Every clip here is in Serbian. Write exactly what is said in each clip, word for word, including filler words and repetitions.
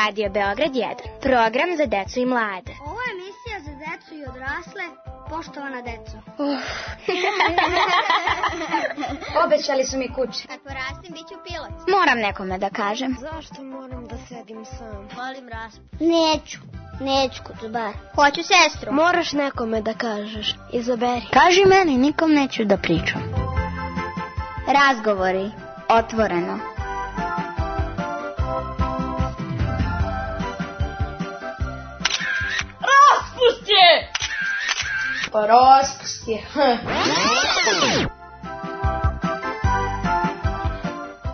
Radio Beograd jedan, program za decu i mlade. Ovo je emisija za decu i odrasle, poštovana deco. Uh. Obećali su mi kuće. Kad porastim, bit ću pilot. Moram nekome da kažem. Zašto moram da sedim sam? Volim raspust. Neću, neću kucubar. Hoću sestru. Moraš nekome da kažeš, izaberi. Kaži meni, nikom neću da pričam. Razgovori, otvoreno. Raspust je! Pa raspust je.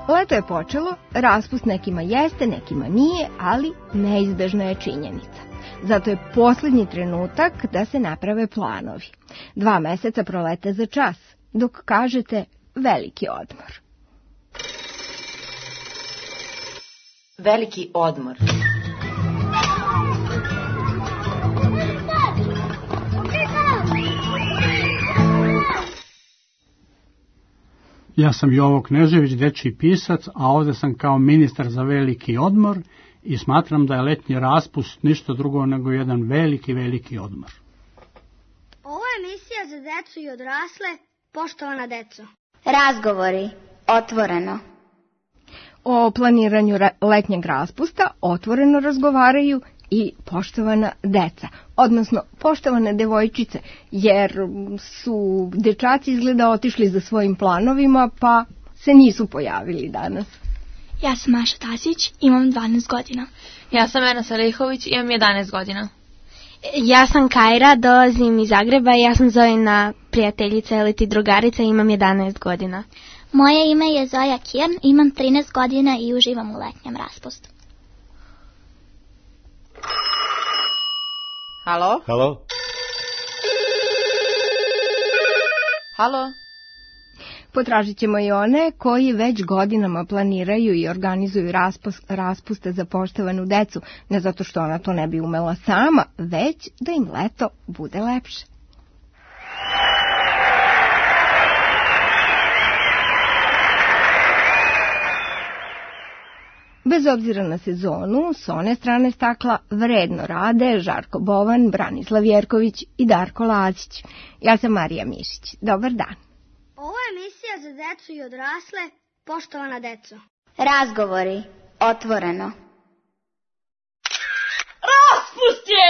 Leto je počelo, raspust nekima jeste, nekima nije, ali neizbežna je činjenica. Zato je posljednji trenutak da se naprave planovi. Dva meseca prolete za čas, dok kažete veliki odmor. Veliki odmor. Ja sam Jovo Knežević, dečiji pisac, a ovdje sam kao ministar za veliki odmor i smatram da je letnji raspust ništa drugo nego jedan veliki, veliki odmor. Ovo je emisija za decu i odrasle, poštovana deco. Razgovori, otvoreno. O planiranju letnjeg raspusta otvoreno razgovaraju i poštovana deca, odnosno poštovane devojčice, jer su dečaci izgleda otišli za svojim planovima, pa se nisu pojavili danas. Ja sam Maša Tasić, imam dvanaest godina. Ja sam Ena Salihović, imam jedanaest godina. Ja sam Kajra, dolazim iz Zagreba i ja sam Zojina prijateljica ili ti drugarica i imam jedanaest godina. Moje ime je Zoja Kirn, imam trinaest godina i uživam u letnjem raspustu. Halo? Halo? Halo? Potražit ćemo i one koji već godinama planiraju i organizuju raspust, raspuste za poštovanu decu, ne zato što ona to ne bi umela sama, već da im leto bude lepše. Bez obzira na sezonu, s one strane stakla vredno rade Žarko Bovan, Branislav Jerković i Darko Lazić. Ja sam Marija Mišić. Dobar dan. Ovo je emisija za decu i odrasle, poštovana deco. Razgovori, otvoreno. Raspust je!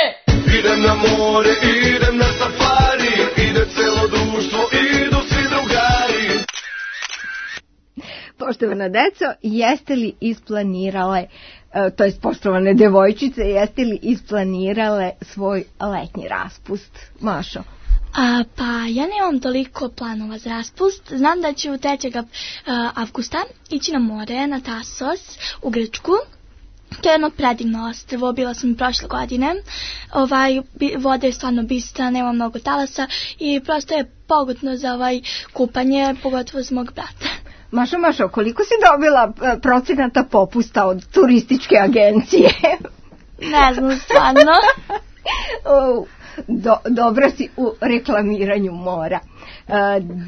Idem na more, idem na safari, ide celo društvo, idu svi drugari. Poštovana deco, jeste li isplanirale, to jest poštovane devojčice, jeste li isplanirale svoj letnji raspust? Mašo? A, pa ja nemam toliko planova za raspust. Znam da ću trećeg avgusta ići na more, na Tasos, u Grčku. To je jedno predivno ostrvo, bila sam i prošle godine. Ovaj, voda je stvarno bistra, nema mnogo talasa i prosto je pogodno za ovaj kupanje, pogotovo za mog brata. Mašo, Mašo, koliko si dobila procenata popusta od turističke agencije? Ne znam, stvarno. Do, dobra si u reklamiranju mora. E,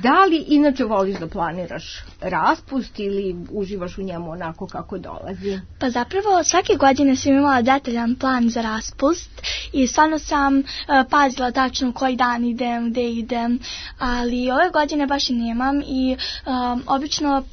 da li inače voliš da planiraš raspust ili uživaš u njemu onako kako dolazi? Pa zapravo svake godine sam imala detaljan plan za raspust i stvarno sam uh, pazila tačno koji dan idem, gde idem, ali ove godine baš i nemam i um, obično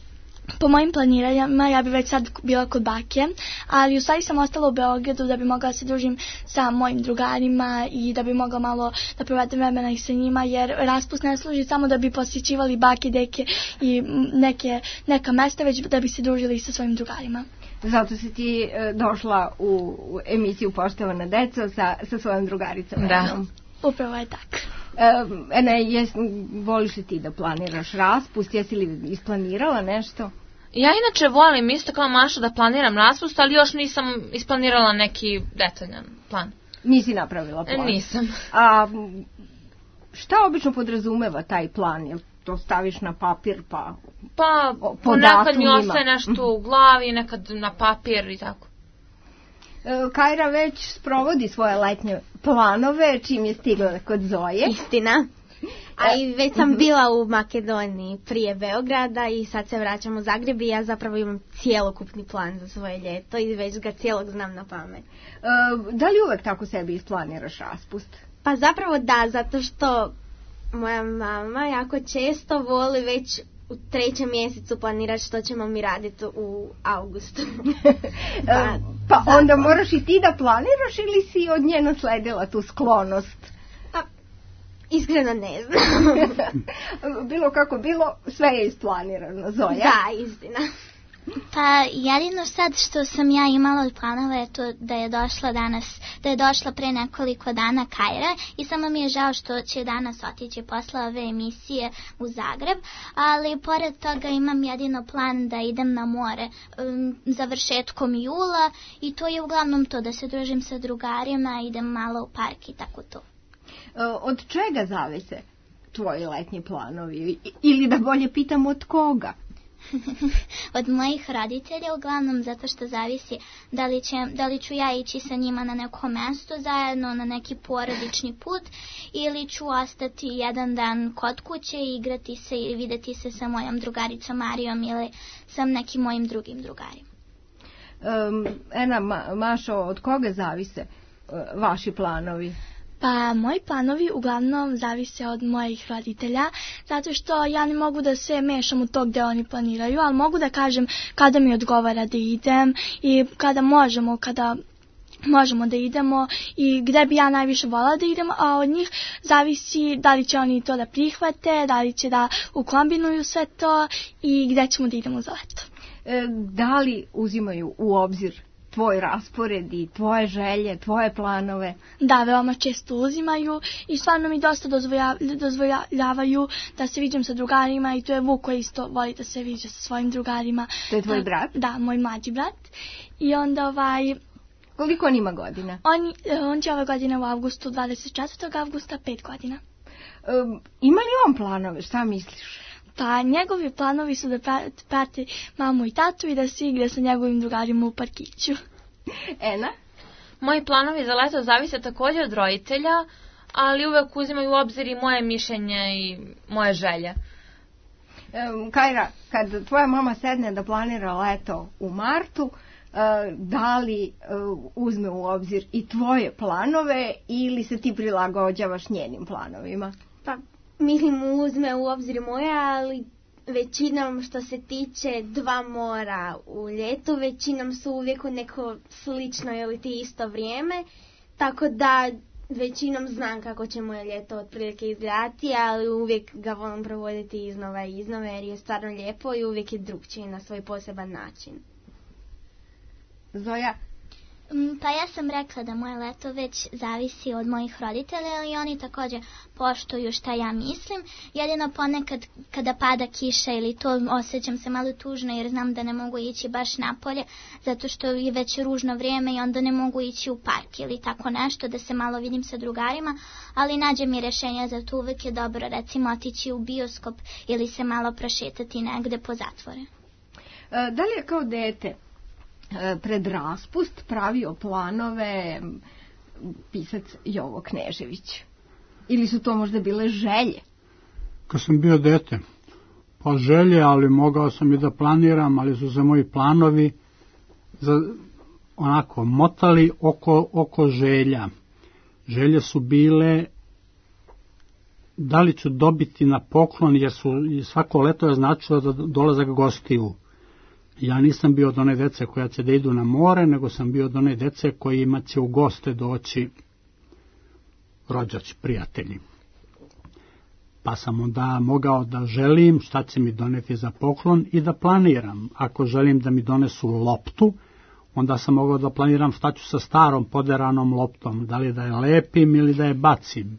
po mojim planiranjima ja bi već sad bila kod bake, ali u stvari sam ostala u Beogradu da bi mogla se družim sa mojim drugarima i da bi mogla malo da provedem vremena i sa njima, jer raspust ne služi samo da bi posjećivali bake, deke i neke, neka mesta, već da bi se družili sa svojim drugarima. Zato si ti e, došla u, u emisiju Poštovana deca sa, sa svojom drugaricom. Da. Enom. Upravo je tako. E, Ene, jes, voliš li ti da planiraš raspust? Jesi li isplanirala nešto? Ja inače volim isto kao Maša da planiram raspust, ali još nisam isplanirala neki detaljan plan. Nisi napravila plan? Nisam. A šta obično podrazumeva taj plan? Jel to staviš na papir pa... Pa ponekad mi ostaje nešto u glavi, nekad na papir i tako. Kajra već sprovodi svoje letnje planove čim je stigla kod Zoje. Istina. A i već sam bila u Makedoniji prije Beograda i sad se vraćam u Zagreb i ja zapravo imam cijelokupni plan za svoje ljeto i već ga cijelog znam na pamet. Uh, da li uvek tako sebi isplaniraš raspust? Pa zapravo da, zato što moja mama jako često voli već u trećem mjesecu planirati što ćemo mi raditi u augustu. pa, pa onda moraš i ti da planiraš ili si od nje nasledila tu sklonost? Pa, iskreno ne znam. Bilo kako bilo, sve je isplanirano, Zoja. Da, istina. Pa jedino sad što sam ja imala od planova je to da je došla danas, da je došla pre nekoliko dana Kajra i samo mi je žao što će danas otići posle ove emisije u Zagreb, ali pored toga imam jedino plan da idem na more um, završetkom jula i to je uglavnom to, da se družim sa drugarima, idem malo u park i tako to. Od čega zavise tvoji letnji planovi? Ili da bolje pitam, od koga? Od mojih roditelja uglavnom, zato što zavisi da li, će, da li ću ja ići sa njima na neko mesto zajedno, na neki porodični put, ili ću ostati jedan dan kod kuće i igrati se ili videti se sa mojom drugaricom Marijom ili sa nekim mojim drugim drugarima. Um, Ena, Ma, Mašo, od koga zavise uh, vaši planovi? Pa moji planovi uglavnom zavise od mojih roditelja, zato što ja ne mogu da se mešam u to gde oni planiraju, ali mogu da kažem kada mi odgovara da idem i kada možemo, kada možemo da idemo i gde bi ja najviše volala da idem, a od njih zavisi da li će oni to da prihvate, da li će da ukombinuju sve to i gde ćemo da idemo za leto. E, da li uzimaju u obzir tvoj raspored i tvoje želje, tvoje planove? Da, veoma često uzimaju i stvarno mi dosta dozvolja, dozvoljavaju da se viđem sa drugarima i to je Vuk koji isto voli da se viđe sa svojim drugarima. To je tvoj da, brat? Da, moj mlađi brat. I onda ovaj... Koliko on ima godina? On, on će ove godine u avgustu, dvadeset četvrtog avgusta, pet godina. Um, ima li on planove, šta misliš? Pa njegovi planovi su da prati mamu i tatu i da se igra sa njegovim drugarima u parkiću. Ena? Moji planovi za leto zavise također od roditelja, ali uvek uzimaju u obzir i moje mišljenje i moje želje. Um, Kajra, kad tvoja mama sedne da planira leto u martu, uh, da li uh, uzme u obzir i tvoje planove ili se ti prilagođavaš njenim planovima? Pa mislim uzme u obzir moje, ali većinom što se tiče dva mora u ljetu, većinom su uvijek u neko slično ili ti isto vrijeme, tako da većinom znam kako će moje ljeto otprilike izgledati, ali uvijek ga volim provoditi iznova i iznova jer je stvarno lijepo i uvijek je drugčiji na svoj poseban način. Zoja? Pa ja sam rekla da moje leto već zavisi od mojih roditelja, ali oni također poštuju šta ja mislim. Jedino ponekad kada pada kiša ili to osjećam se malo tužno jer znam da ne mogu ići baš napolje zato što je već ružno vrijeme i onda ne mogu ići u park ili tako nešto da se malo vidim sa drugarima, ali nađem mi rješenja za to. Uvijek je dobro recimo otići u bioskop ili se malo prošetati negde po zatvore. Da li je kao dete pred raspust pravio planove pisac Jovo Knežević? Ili su to možda bile želje? Kad sam bio dete, pa želje, ali mogao sam i da planiram, ali su se moji planovi za, onako motali oko, oko želja. Želje su bile da li ću dobiti na poklon, jer su svako leto je značilo da dolazak gostiju. Ja nisam bio od one dece koja će da idu na more, nego sam bio od one dece kojima će u goste doći rođaci, prijatelji. Pa sam onda mogao da želim šta će mi doneti za poklon i da planiram. Ako želim da mi donesu loptu, onda sam mogao da planiram šta ću sa starom poderanom loptom, da li da je lepim ili da je bacim.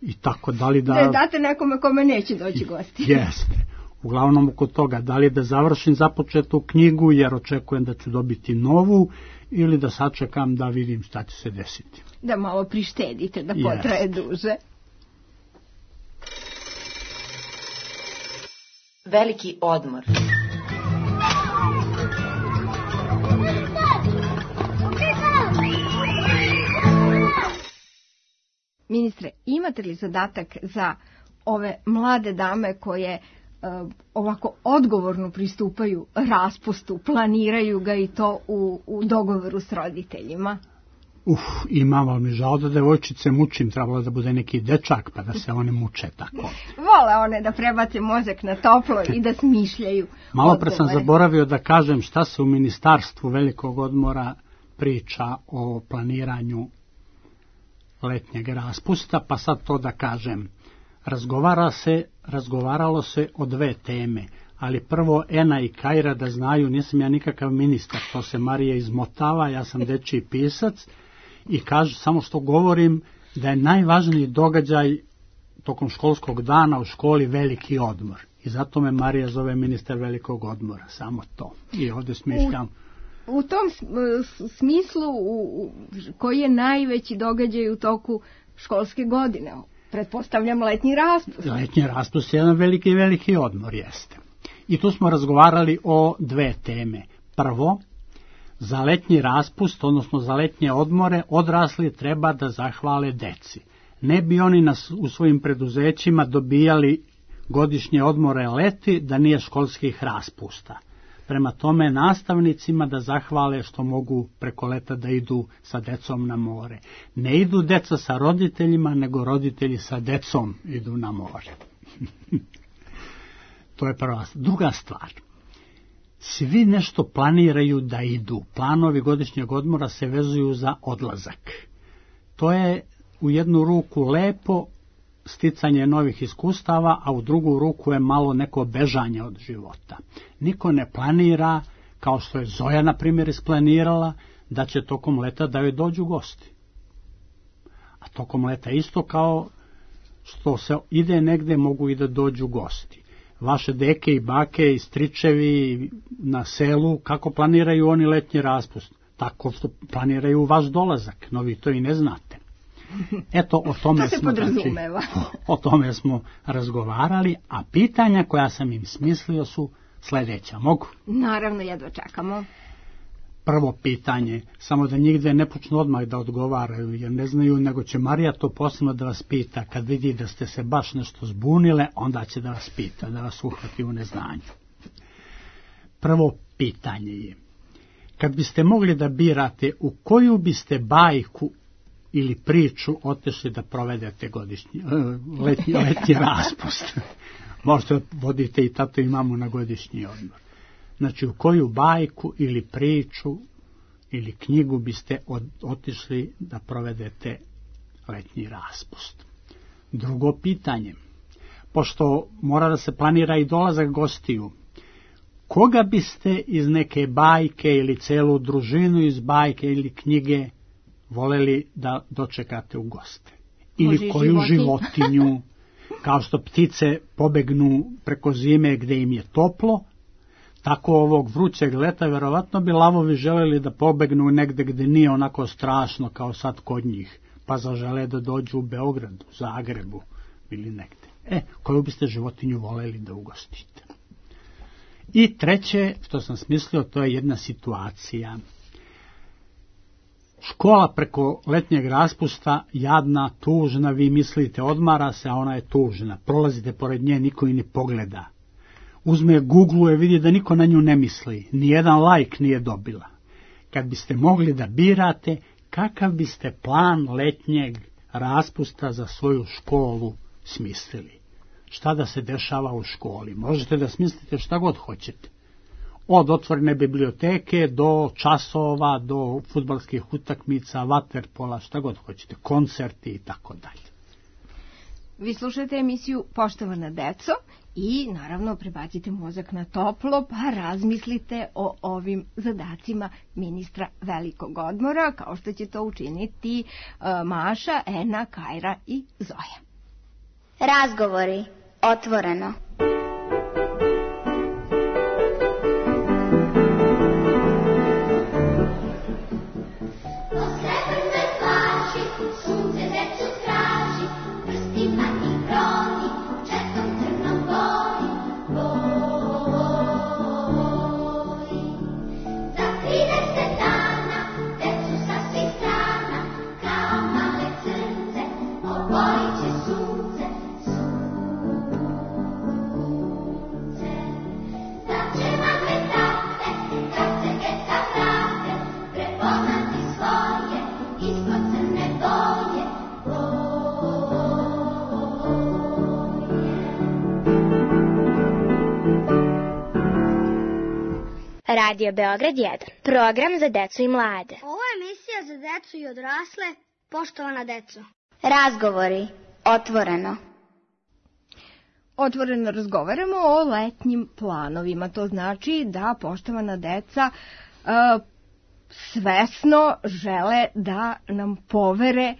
I tako, da li da... Da date nekome kome neće doći gosti. Jeste. Uglavnom oko toga, da li da završim započetu knjigu jer očekujem da ću dobiti novu ili da sačekam da vidim šta će se desiti. Da malo prištedite, da potraje yes. duže. Veliki odmor. Ministre, imate li zadatak za ove mlade dame koje uh, ovako odgovorno pristupaju raspustu, planiraju ga i to u, u dogovoru s roditeljima? Uf, imam, ali mi žao da devojčice mučim, trebalo da bude neki dečak pa da se one muče tako. Vole one da prebace mozak na toplo i da smišljaju. Malo pre sam zaboravio da kažem šta se u Ministarstvu velikog odmora priča o planiranju letnjeg raspusta, pa sad to da kažem. Razgovara se, razgovaralo se o dve teme, ali prvo Ena i Kajra da znaju, nisam ja nikakav ministar, to se Marija izmotava, ja sam dečiji pisac i kaže samo što govorim da je najvažniji događaj tokom školskog dana u školi veliki odmor. I zato me Marija zove ministar velikog odmora, samo to. I ovdje smišljam. U, u tom smislu, u, koji je najveći događaj u toku školske godine? Pretpostavljam letnji raspust. Letnji raspust je jedan veliki, veliki odmor, jeste. I tu smo razgovarali o dve teme. Prvo, za letnji raspust, odnosno za letnje odmore, odrasli treba da zahvale deci. Ne bi oni nas u svojim preduzećima dobijali godišnje odmore leti da nije školskih raspusta. Prema tome nastavnicima da zahvale što mogu preko leta da idu sa decom na more. Ne idu deca sa roditeljima, nego roditelji sa decom idu na more. To je prva. Druga stvar. Svi nešto planiraju da idu. Planovi godišnjeg odmora se vezuju za odlazak. To je u jednu ruku lepo, sticanje novih iskustava, a u drugu ruku je malo neko bežanje od života. Niko ne planira, kao što je Zoja, na primjer, isplanirala, da će tokom leta da joj dođu gosti. A tokom leta isto kao što se ide negde, mogu i da dođu gosti. Vaše deke i bake i stričevi na selu, kako planiraju oni letnji raspust? Tako što planiraju vaš dolazak, no vi to i ne znate. Eto, o tome, to se smo, znači, o tome smo razgovarali, a pitanja koja sam im smislio su sljedeća. Mogu? Naravno, jedva čekamo. Prvo pitanje, samo da nigde ne počnu odmah da odgovaraju, jer ne znaju, nego će Marija to posebno da vas pita. Kad vidi da ste se baš nešto zbunile, onda će da vas pita, da vas uhvati u neznanju. Prvo pitanje je, kad biste mogli da birate u koju biste bajku ili priču otišli da provedete godišnji, letnji, letnji raspust. Možete vodite i tato i mamu na godišnji odmor. Znači, u koju bajku ili priču ili knjigu biste od, otišli da provedete letnji raspust. Drugo pitanje, pošto mora da se planira i dolazak gostiju, koga biste iz neke bajke ili celu družinu iz bajke ili knjige voleli da dočekate u goste? Ili Može koju životinju, kao što ptice pobegnu preko zime gde im je toplo, tako ovog vrućeg leta verovatno bi lavovi želeli da pobegnu negde gde nije onako strašno kao sad kod njih, pa zažele da dođu u Beogradu, Zagrebu ili negde. E, koju biste životinju voleli da ugostite? I treće, što sam smislio, to je jedna situacija. Škola preko letnjeg raspusta, jadna, tužna, vi mislite odmara se, a ona je tužna. Prolazite pored nje, niko i ne pogleda. Uzme, googluje, vidi da niko na nju ne misli. Nijedan like nije dobila. Kad biste mogli da birate, kakav biste plan letnjeg raspusta za svoju školu smislili? Šta da se dešava u školi? Možete da smislite šta god hoćete. Od otvorene biblioteke do časova, do fudbalskih utakmica, vaterpola, šta god hoćete, koncerti i tako dalje. Vi slušate emisiju Poštovana deco i naravno prebacite mozak na toplo pa razmislite o ovim zadacima ministra velikog odmora, kao što će to učiniti uh, Maša, Ena, Kajra i Zoja. Razgovori otvoreno. Radio Beograd jedan, program za decu i mlade. Ovo je emisija za decu i odrasle, poštovana deco. Razgovori, otvoreno. Otvoreno razgovaramo o letnjim planovima. To znači da poštovana deca uh, svesno žele da nam povere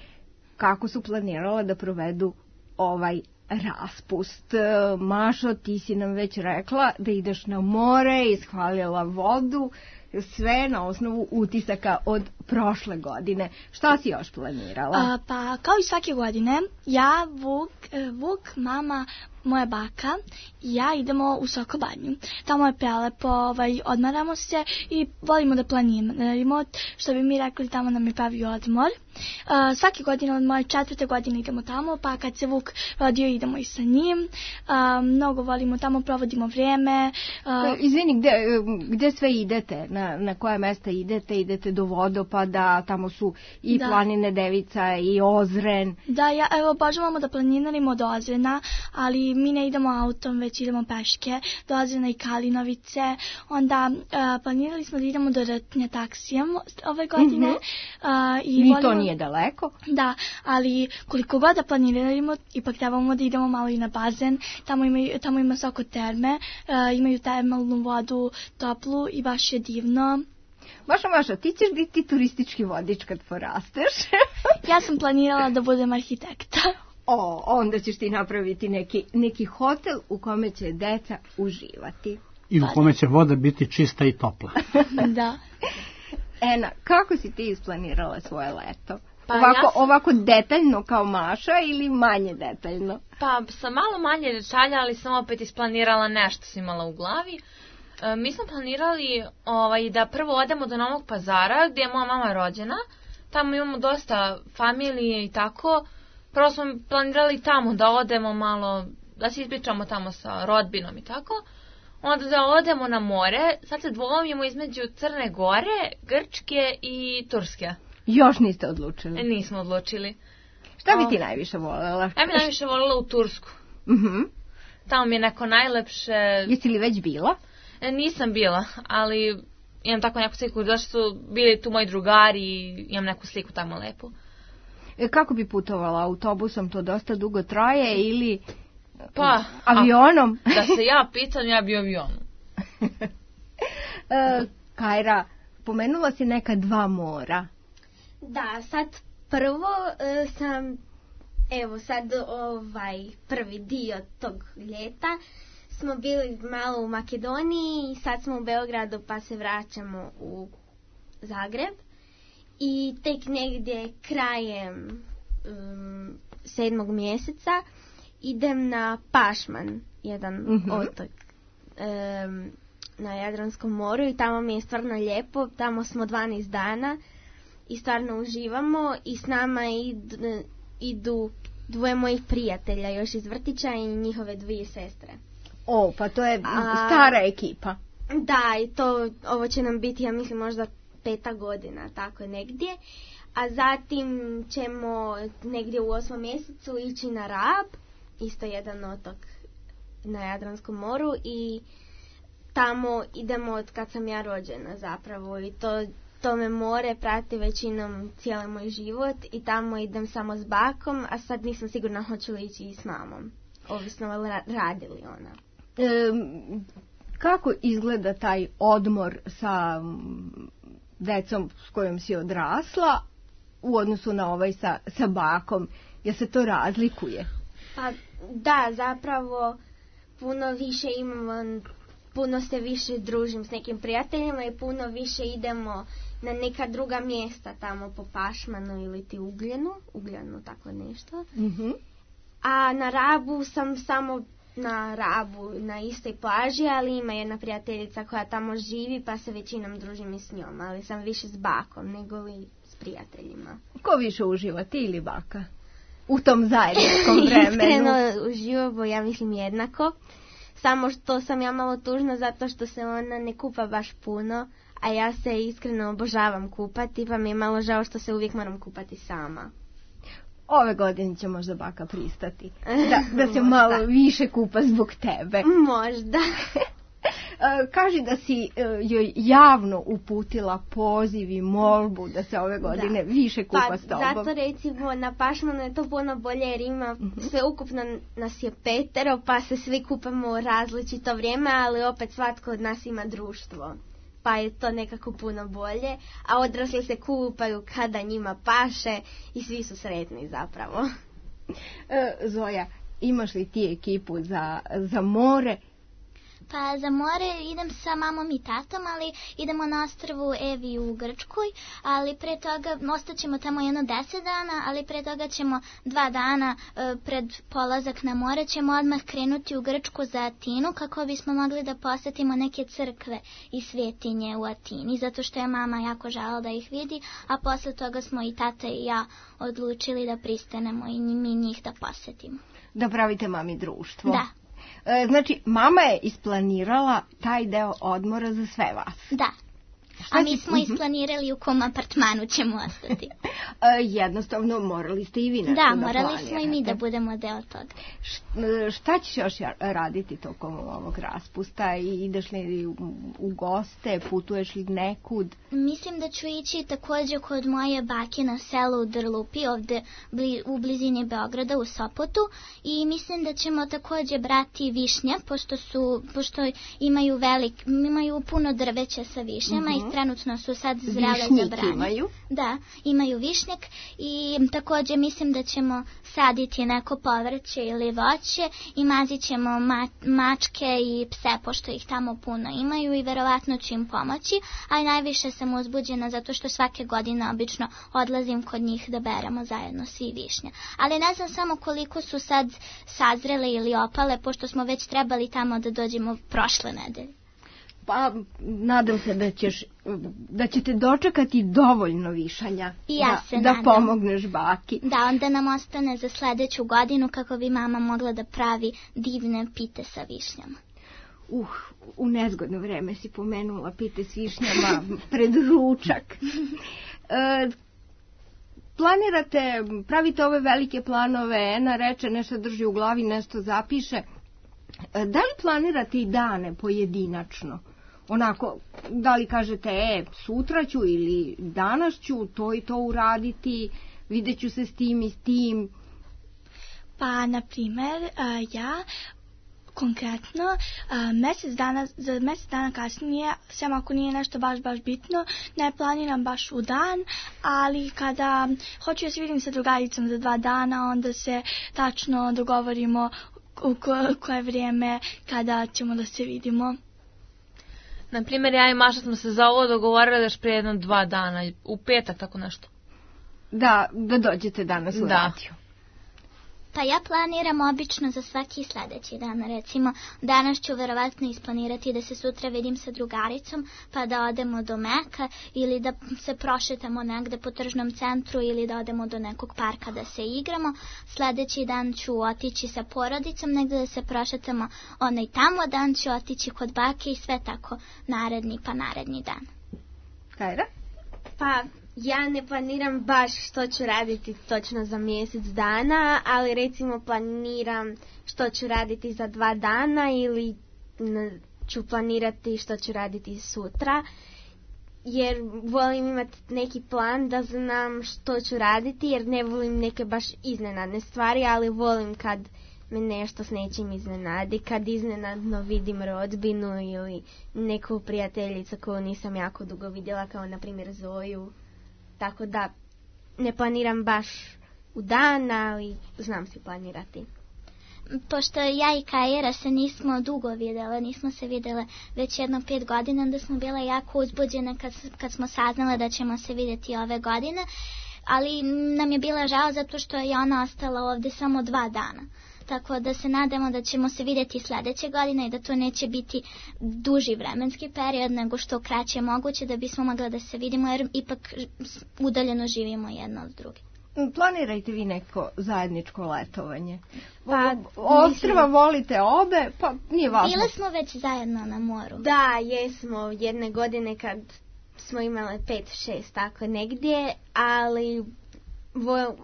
kako su planirala da provedu ovaj raspust. Mašo, ti si nam već rekla da ideš na more, ishvalila vodu, sve na osnovu utisaka od prošle godine. Šta si još planirala? A, pa, kao i svake godine, ja, Vuk, Vuk, mama, moja baka i ja idemo u Sokobanju. Tamo je prelepo, ovaj, odmaramo se i volimo da planiramo, što bi mi rekli, tamo nam je pravi odmor. Uh, svake godine od moje četvrte godine idemo tamo, pa kad se Vuk rodio idemo i sa njim. Uh, mnogo volimo tamo, provodimo vrijeme. Uh, Izvini, gde, gde sve idete? Na, na koje mesta idete? Idete do vodopada, tamo su i da. Planine Devica i Ozren. Da, ja, evo, obožavamo da planiramo do Ozrena, ali mi ne idemo autom, već idemo peške do Ozrena i Kalinovice. Onda uh, planirali smo da idemo do Rtnja taksijem ove godine. Mm-hmm. uh, i, I volimo, to nije daleko. Da, ali koliko god da planiramo, ipak trebamo da idemo malo i na bazen. Tamo ima, tamo ima soko terme, uh, imaju termalnu vodu toplu i baš je divno. Maša, Maša, ti ćeš biti turistički vodič kad porasteš. Ja sam planirala da budem arhitekta. O, onda ćeš ti napraviti neki, neki hotel u kome će deca uživati. I u kome će voda biti čista i topla. Da. Ena, kako si ti isplanirala svoje leto? Pa ovako, ja sam... ovako detaljno kao Maša ili manje detaljno? Pa sa malo manje detalja, ali sam opet isplanirala nešto sam imala u glavi. E, mi smo planirali ovaj, da prvo odemo do Novog Pazara, gdje je moja mama rođena. Tamo imamo dosta familije i tako. Prvo smo planirali tamo da odemo malo, da se ispričamo tamo sa rodbinom i tako. Onda da odemo na more. Sad se dvomimo između Crne Gore, Grčke i Turske. Još niste odlučili? E, nismo odlučili. Šta bi ti najviše voljela? Ja bi najviše voljela u Tursku. Uh-huh. Tamo mi je neko najlepše... Jesi li već bila? E, nisam bila, ali imam tako neku sliku, zašto su bili tu moji drugari i imam neku sliku tamo lepu. E, kako bi putovala? Autobusom to dosta dugo traje ili pa, avionom? A, da se ja pitam, ja bi avionom. e, Kajra, pomenula si neka dva mora. Da, sad prvo uh, sam, evo sad ovaj prvi dio tog ljeta smo bili malo u Makedoniji i sad smo u Beogradu pa se vraćamo u Zagreb i tek negdje krajem um, sedmog mjeseca idem na Pašman, jedan mm-hmm. otok um, na Jadranskom moru i tamo mi je stvarno lijepo, tamo smo dvanaest dana i stvarno uživamo i s nama idu, idu dvoje mojih prijatelja još iz vrtića i njihove dvije sestre. O, pa to je A, stara ekipa. Da, i to, ovo će nam biti, ja mislim, možda peta godina, tako negdje. A zatim ćemo negdje u osmom mjesecu ići na Rab, isto jedan otok na Jadranskom moru i tamo idemo od kad sam ja rođena zapravo i to... To me more prati većinom cijeli moj život i tamo idem samo s bakom, a sad nisam sigurna hoću li ići i s mamom. Ovisno radi li ona. E, kako izgleda taj odmor sa decom s kojom si odrasla u odnosu na ovaj sa, sa bakom? Jel se to razlikuje? Pa da, zapravo puno više imamo, puno se više družim s nekim prijateljima i puno više idemo na neka druga mjesta tamo po Pašmanu ili ti Ugljenu, Ugljenu tako nešto. Mm-hmm. A na Rabu sam samo na Rabu, na istoj plaži, ali ima jedna prijateljica koja tamo živi pa se većinom družim i s njom, ali sam više s bakom nego li s prijateljima. Ko više uživa, ti ili baka? U tom zajedničkom vremenu? Iskreno uživamo, ja mislim jednako. Samo što sam ja malo tužna zato što se ona ne kupa baš puno, a ja se iskreno obožavam kupati, pa mi je malo žao što se uvijek moram kupati sama. Ove godine će možda baka pristati da, da se malo više kupa zbog tebe. Možda. Kaži da si joj javno uputila poziv i molbu da se ove godine da. više kupa pa, s tobom. Zato recimo na Pašmanu je to puno bolje jer ima uh-huh. sve ukupno nas je petero pa se svi kupamo u različito vrijeme, ali opet svatko od nas ima društvo. Pa je to nekako puno bolje, a odrasli se kupaju kada njima paše i svi su sretni zapravo. E, Zoja, imaš li ti ekipu za, za more? Pa za more idem sa mamom i tatom, ali idemo na ostrvu Evi u Grčkoj, ali pre toga ostaćemo tamo jedno deset dana, ali pre toga ćemo dva dana e, pred polazak na more ćemo odmah krenuti u Grčku za Atinu kako bismo mogli da posetimo neke crkve i svetinje u Atini, zato što je mama jako želela da ih vidi, a posle toga smo i tata i ja odlučili da pristanemo i mi njih da posetimo. Da pravite mami društvo. Da. Znači, mama je isplanirala taj deo odmora za sve vas. Da. A mi smo isplanirali u kom apartmanu ćemo ostati. Jednostavno, morali ste i vi nešto da da morali planirate. smo i mi da budemo deo toga. Šta ćeš još raditi tokom ovog raspusta? Ideš li u, u goste, putuješ li nekud? Mislim da ću ići također kod moje bake na selo u Drlupi, ovde bli, u blizini Beograda, u Sopotu. I mislim da ćemo također brati višnje, pošto, su, pošto imaju, velik, imaju puno drveća sa višnjama uh-huh. i trenutno su sad zrele Višnjik za branje. Imaju? Da, imaju višnjak i također mislim da ćemo saditi neko povrće ili voće i mazit ćemo ma, mačke i pse, pošto ih tamo puno imaju i verovatno ću im pomoći, a najviše sam uzbuđena zato što svake godine obično odlazim kod njih da beremo zajedno svi višnje. Ali ne znam samo koliko su sad sazrele ili opale, pošto smo već trebali tamo da dođemo prošle nedelje. Pa, nadam se da ćeš, da ćete dočekati dovoljno višanja I ja da, se da nadam. pomogneš baki. Da, onda nam ostane za sledeću godinu kako bi mama mogla da pravi divne pite sa višnjama. Uh, u nezgodno vreme si pomenula pite s višnjama pred ručak. E, planirate, pravite ove velike planove, Ena reče nešto drži u glavi, nešto zapiše. Da li planirate i dane pojedinačno? Onako, da li kažete, e, sutra ću ili danas ću to i to uraditi, vidjet ću se s tim i s tim? Pa, na primjer, ja konkretno mjesec dana, za mjesec dana kasnije, sem ako nije nešto baš baš bitno, ne planiram baš u dan, ali kada hoću da se vidim sa drugaricom za dva dana, onda se tačno dogovorimo u ko, koje vrijeme kada ćemo da se vidimo. Naprimjer, ja i Maša smo se za ovo dogovorili još prije jedno dva dana, u petak, tako nešto. Da, da dođete danas u radio. Pa ja planiram obično za svaki sljedeći dan, recimo danas ću verovatno isplanirati da se sutra vidim sa drugaricom pa da odemo do Meka ili da se prošetamo negde po tržnom centru ili da odemo do nekog parka da se igramo. Sljedeći dan ću otići sa porodicom negde da se prošetamo, onaj tamo dan ću otići kod bake i sve tako naredni pa naredni dan. Kajra? Pa ja ne planiram baš što ću raditi točno za mjesec dana, ali recimo planiram što ću raditi za dva dana ili ću planirati što ću raditi sutra, jer volim imati neki plan da znam što ću raditi, jer ne volim neke baš iznenadne stvari, ali volim kad me nešto s nečim iznenadi, kad iznenadno vidim rodbinu ili neku prijateljicu koju nisam jako dugo vidjela, kao na primjer Zoju. Tako da ne planiram baš u dan, ali znam si planirati. Pošto ja i Kajera se nismo dugo vidjela, nismo se vidjela već jedno pet godina, onda smo bile jako uzbuđene kad, kad smo saznale da ćemo se vidjeti ove godine, ali nam je bila žao zato što je ona ostala ovdje samo dva dana. Tako da se nadamo da ćemo se vidjeti sljedeće godine i da to neće biti duži vremenski period nego što kraće moguće da bismo mogli da se vidimo jer ipak udaljeno živimo jedno od druge. Planirajte vi neko zajedničko letovanje. Pa, ostrva volite obe, pa nije važno. Bile smo već zajedno na moru. Da, jesmo jedne godine kad smo imale pet, šest, tako negdje, ali vo,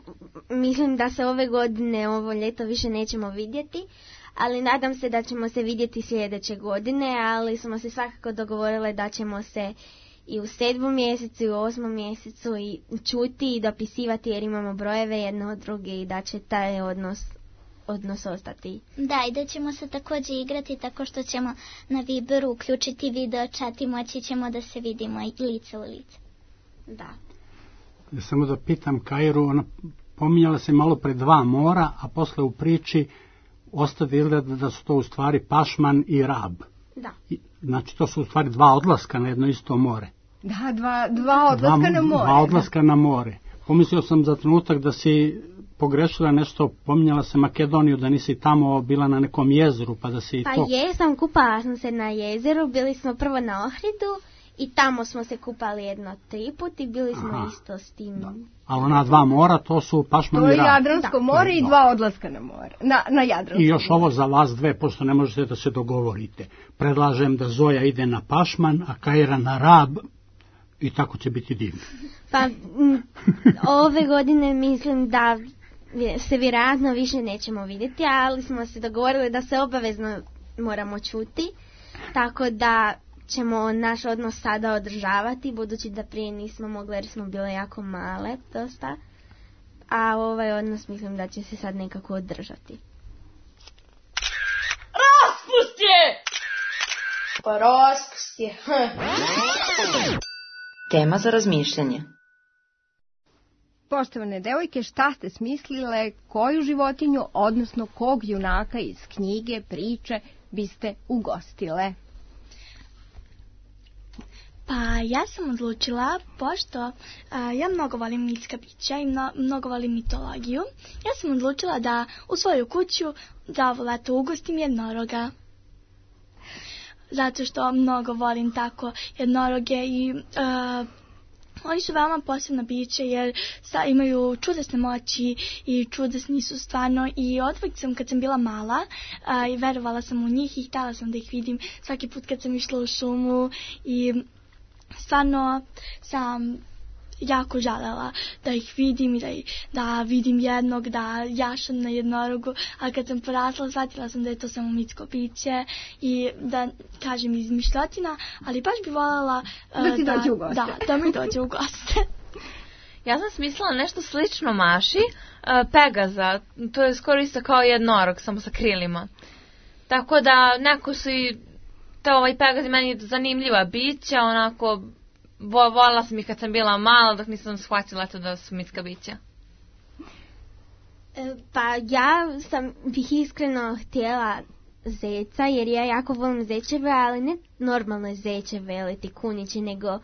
mislim da se ove godine, ovo ljeto više nećemo vidjeti, ali nadam se da ćemo se vidjeti sljedeće godine, ali smo se svakako dogovorile da ćemo se i u sedmom mjesecu i u osmom mjesecu i čuti i dopisivati jer imamo brojeve jedno od druge i da će taj odnos, odnos ostati. Da, i da ćemo se također igrati tako što ćemo na Viberu uključiti video chat i moći ćemo da se vidimo i lice u lice. Da. Ja samo da pitam Kairu, ona pominjala se malo pre dva mora, a posle u priči ostade izgleda da su to u stvari Pašman i Rab. Da. I, znači to su u stvari dva odlaska na jedno isto more. Da, dva, dva odlaska dva, na more. Dva odlaska da. na more. Pomislio sam za trenutak da si pogrešila nešto, pominjala se Makedoniju, da nisi tamo bila na nekom jezeru, pa da si pa to... Pa jesam, kupala sam se na jezeru, bili smo prvo na Ohridu i tamo smo se kupali jedno tri put i bili smo Aha. isto s tim. Da. Ali ona dva mora, to su Pašman i Rab. To je Jadransko da. more i dva odlaska na more. Na, na Jadransko I još more. Ovo za vas dve, pošto ne možete da se dogovorite. Predlažem da Zoja ide na Pašman, a Kaira na Rab i tako će biti divno. Pa m, ove godine mislim da se vjerojatno više nećemo vidjeti, ali smo se dogovorili da se obavezno moramo čuti, tako da ćemo naš odnos sada održavati, budući da prije nismo mogli jer smo bile jako male dosta, a ovaj odnos mislim da će se sad nekako održati. Raspust je! Pa raspust je. Tema za razmišljanje. Poštovane devojke, šta ste smislile, koju životinju, odnosno kog junaka iz knjige, priče biste ugostile? Pa ja sam odlučila, pošto a, ja mnogo volim mitska bića i mno, mnogo volim mitologiju, ja sam odlučila da u svoju kuću za ovo leto ugostim jednoroga. Zato što mnogo volim tako jednoroge i a, oni su veoma posebna bića jer sa, imaju čudesne moći i čudesni su stvarno i odvijek sam kad sam bila mala a, i verovala sam u njih i htjela sam da ih vidim svaki put kad sam išla u šumu i stvarno sam jako željela da ih vidim i da, da vidim jednog, da jašam na jednorogu, a kad sam porasla shvatila sam da je to samo mitsko biće i da kažem izmišljotina, ali baš bi voljela uh, da ti dođe u goste. Da, da mi dođe u goste. Ja sam smislila nešto slično Maši, uh, Pegaza, to je skoro isto kao jednorog, samo sa krilima. Tako da neko su i to ovaj Pegaz meni zanimljiva bića, onako voljela sam ih kad sam bila mala, dok nisam shvatila to da su mitska bića. Pa ja sam bih iskreno htjela zeca, jer ja jako volim zečeve, ali ne normalno zečeve ili ti kunići, nego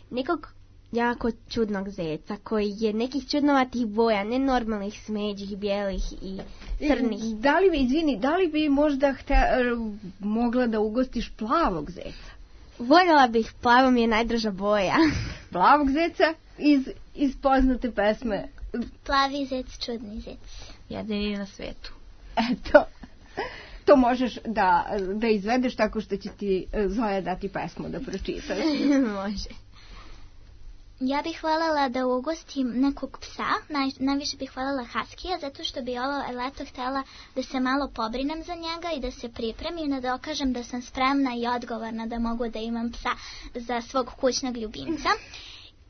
nekog jako čudnog zeca koji je nekih čudnovatih boja, ne normalnih smeđih, bijelih i crnih. Da li bi, izvini, da li bi možda hte, mogla da ugostiš plavog zeca? Voljela bih, plavo mi je najdraža boja. Plavog zeca iz, iz poznate pesme. Plavi zec, čudni zec. Jedini na svetu. Eto, to možeš da, da izvedeš tako što će ti Zoja dati pesmu da pročitaš. Može. Ja bih voljela da ugostim nekog psa, naj, najviše bih voljela haskija, zato što bi ovo leto htjela da se malo pobrinem za njega i da se pripremim, da dokažem da sam spremna i odgovorna da mogu da imam psa za svog kućnog ljubimca.